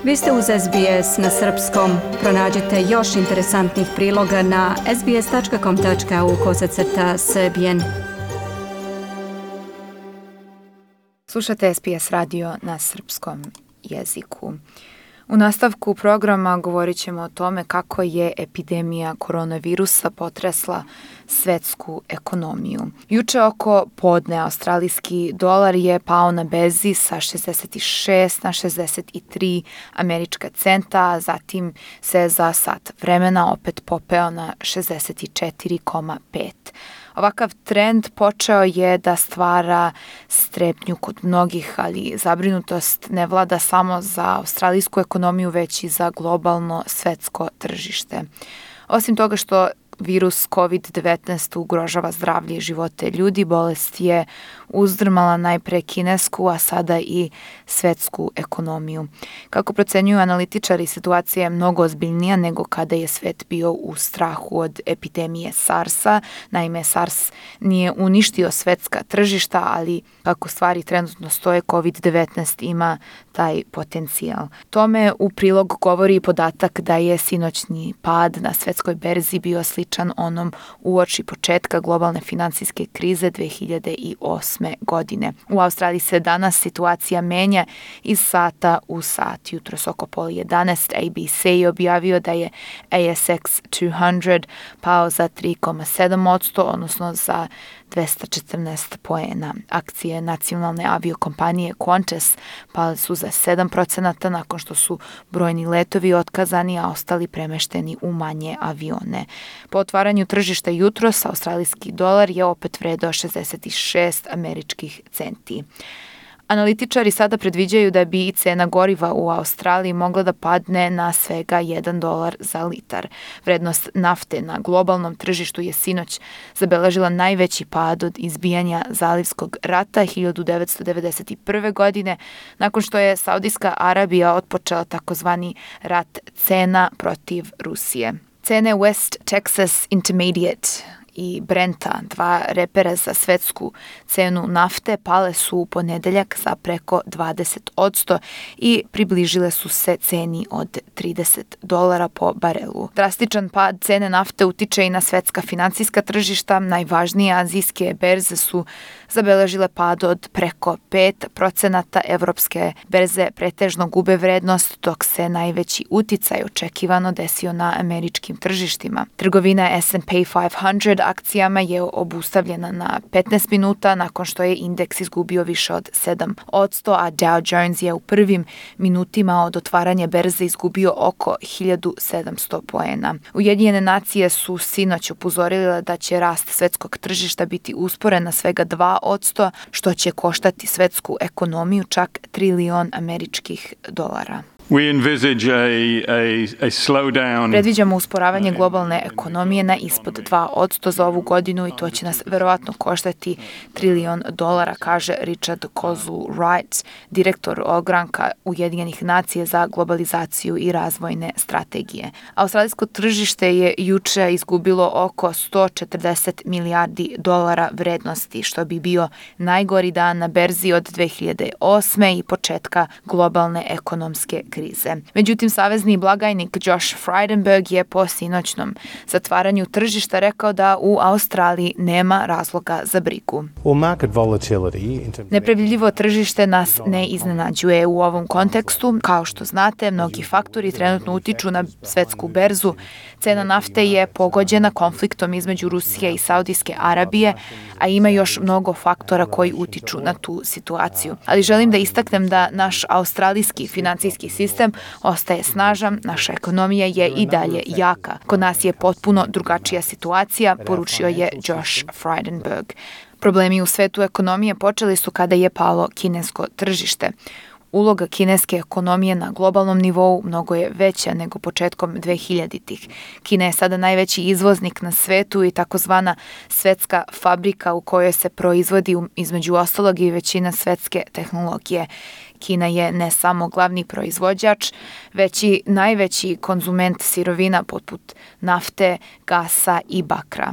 Vi ste uz SBS na srpskom. Pronađite još interesantnih priloga na sbs.com.au/srbijen. Slušate SBS radio na srpskom jeziku. U nastavku programa govorit ćemo o tome kako je epidemija koronavirusa potresla svetsku ekonomiju. Juče oko podne australijski dolar je pao na berzi sa 66 na 63 američka centa, a zatim se za sat vremena opet popeo na 64,5. Ovakav trend počeo je da stvara strepnju kod mnogih, ali zabrinutost ne vlada samo za australijsku ekonomiju, već i za globalno svetsko tržište. Osim toga što virus COVID-19 ugrožava zdravlje i živote ljudi, bolest je uzdrmala najpre kinesku, a sada i svetsku ekonomiju. Kako procenjuju analitičari, situacija je mnogo ozbiljnija nego kada je svet bio u strahu od epidemije SARS-a. Naime, SARS nije uništio svetska tržišta, ali kako stvari trenutno stoje, COVID-19 ima taj potencijal. Tome u prilog govori i podatak da je sinoćni pad na svetskoj berzi bio sličan onom uoči početka globalne finansijske krize 2008. godine. U Australiji se danas situacija menja iz sata u sat. Jutros oko 10:30 ABC je objavio da je ASX 200 pao za 3,7%, odnosno za 214 poena. Akcije nacionalne aviokompanije Qantas pale su za 7% nakon što su brojni letovi otkazani, a ostali premešteni u manje avione. Po otvaranju tržišta jutros, australijski dolar je opet vredeo 66 američkih centi. Analitičari sada predviđaju da bi i cena goriva u Australiji mogla da padne na svega $1 za litar. Vrednost nafte na globalnom tržištu je sinoć zabeležila najveći pad od izbijanja Zalivskog rata 1991. godine, nakon što je Saudijska Arabija otpočela takozvani rat cena protiv Rusije. Cene West Texas Intermediate i Brenta, dva repera za svetsku cenu nafte, pale su u ponedeljak za preko 20% i približile su se ceni od $30 po barelu. Drastičan pad cene nafte utiče i na svetska finansijska tržišta. Najvažnije azijske berze su zabeležile pad od preko 5%, evropske berze pretežno gube vrednost, dok se najveći uticaj očekivano desio na američkim tržištima. Trgovina S&P 500 akcijama je obustavljena na 15 minuta nakon što je indeks izgubio više od 7%, a Dow Jones je u prvim minutima od otvaranja berze izgubio oko 1700 poena. Ujedinjene nacije su sinoć upozorile da će rast svetskog tržišta biti usporen na svega 2%, što će koštati svetsku ekonomiju čak $1 trilion američkih dolara. Predviđamo usporavanje globalne ekonomije na ispod 2% za ovu godinu i to će nas verovatno koštati $1 trilion, kaže Richard Kozu-Wright, direktor ogranka Ujedinjenih nacija za globalizaciju i razvojne strategije. Australijsko tržište je juče izgubilo oko $140 milijardi vrednosti, što bi bio najgori dan na berzi od 2008. i početka globalne ekonomske krize. Međutim, savezni blagajnik Josh Frydenberg je po sinoćnom zatvaranju tržišta rekao da u Australiji nema razloga za brigu. Nepredvidljivo tržište nas ne iznenađuje u ovom kontekstu. Kao što znate, mnogi faktori trenutno utiču na svetsku berzu. Cena nafte je pogođena konfliktom između Rusije i Saudijske Arabije, a ima još mnogo faktora koji utiču na tu situaciju. Ali želim da istaknem da naš australijski finansijski sistem ostaje snažan, naša ekonomija je i dalje jaka. Kod nas je potpuno drugačija situacija, poručio je Josh Frydenberg. Problemi u svetu ekonomije počeli su kada je palo kinesko tržište. Uloga kineske ekonomije na globalnom nivou mnogo je veća nego početkom 2000-ih. Kina je sada najveći izvoznik na svetu i takozvana svetska fabrika u kojoj se proizvodi između ostalog i većina svetske tehnologije. Kina je ne samo glavni proizvođač, već i najveći konzument sirovina poput nafte, gasa i bakra.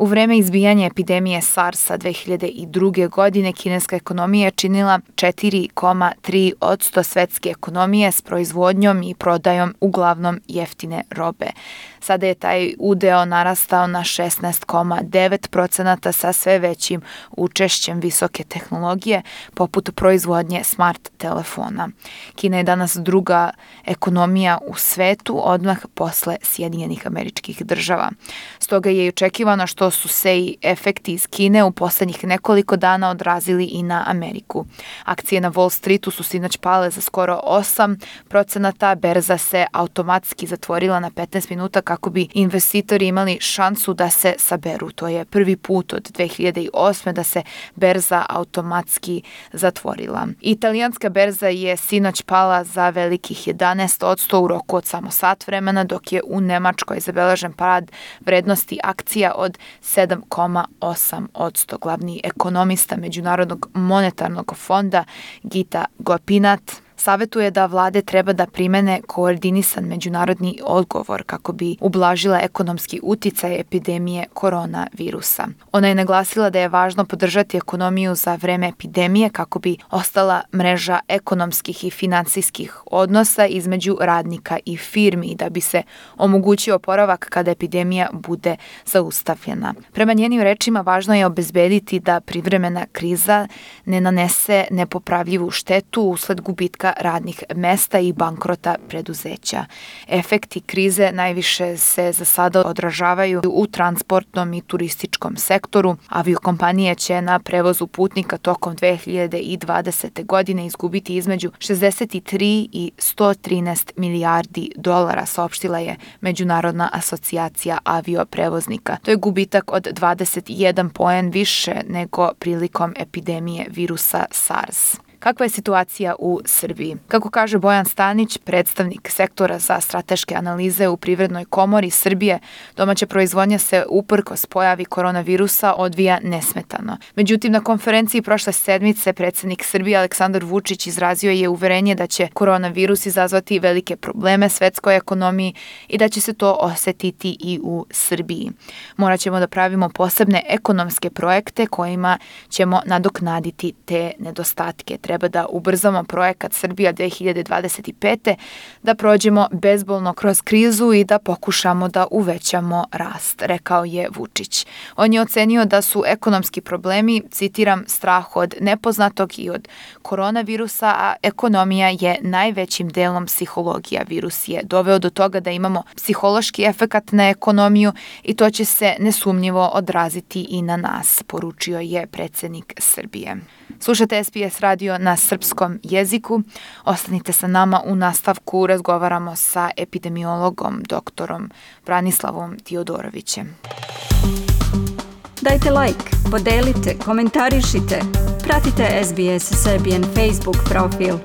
U vreme izbijanja epidemije SARS-a 2002. godine kineska ekonomija je činila 4,3% svetske ekonomije s proizvodnjom i prodajom uglavnom jeftine robe. Sada je taj udeo narastao na 16,9% sa sve većim učešćem visoke tehnologije poput proizvodnje smart telefona. Kina je danas druga ekonomija u svetu odmah posle Sjedinjenih Američkih Država. Stoga je i očekivano što su se i efekti iz Kine u poslednjih nekoliko dana odrazili i na Ameriku. Akcije na Wall Streetu su sinoć pale za skoro 8%, berza se automatski zatvorila na 15 minuta kako bi investitori imali šansu da se saberu. To je prvi put od 2008. da se berza automatski zatvorila. Italijanska berza je sinoć pala za velikih 11% u roku od samo sat vremena, dok je u Nemačkoj zabeležen pad vrednosti akcija od 7,8%. Glavni ekonomista Međunarodnog monetarnog fonda Gita Gopinath savetuje da vlade treba da primene koordinisan međunarodni odgovor kako bi ublažila ekonomski uticaj epidemije koronavirusa. Ona je naglasila da je važno podržati ekonomiju za vreme epidemije kako bi ostala mreža ekonomskih i finansijskih odnosa između radnika i firmi i da bi se omogućio oporavak kada epidemija bude zaustavljena. Prema njenim rečima, važno je obezbediti da privremena kriza ne nanese nepopravljivu štetu usled gubitka radnih mesta i bankrota preduzeća. Efekti krize najviše se za sada odražavaju u transportnom i turističkom sektoru. Aviokompanije će na prevozu putnika tokom 2020. godine izgubiti između 63 i 113 milijardi dolara, saopštila je Međunarodna asocijacija avioprevoznika. To je gubitak od 21 poen više nego prilikom epidemije virusa SARS. Kakva je situacija u Srbiji? Kako kaže Bojan Stanić, predstavnik sektora za strateške analize u Privrednoj komori Srbije, domaća proizvodnja se uprkos pojavi koronavirusa odvija nesmetano. Međutim, na konferenciji prošle sedmice predsednik Srbije Aleksandar Vučić izrazio je uverenje da će koronavirus izazvati velike probleme svetskoj ekonomiji i da će se to osetiti i u Srbiji. Morat ćemo da pravimo posebne ekonomske projekte kojima ćemo nadoknaditi te nedostatke. Treba da ubrzamo projekat Srbija 2025. da prođemo bezbolno kroz krizu i da pokušamo da uvećamo rast, rekao je Vučić. On je ocenio da su ekonomski problemi, citiram, strah od nepoznatog i od koronavirusa, a ekonomija je najvećim delom psihologija. Virus je doveo do toga da imamo psihološki efekat na ekonomiju i to će se nesumnjivo odraziti i na nas, poručio je predsednik Srbije. Slušate SPS radio na srpskom jeziku. Ostanite sa nama, u nastavku razgovaramo sa epidemiologom doktorom Branislavom Tiodorovićem. Dajte like, podelite, komentarišite. Pratite SBS Serbian Facebook profil.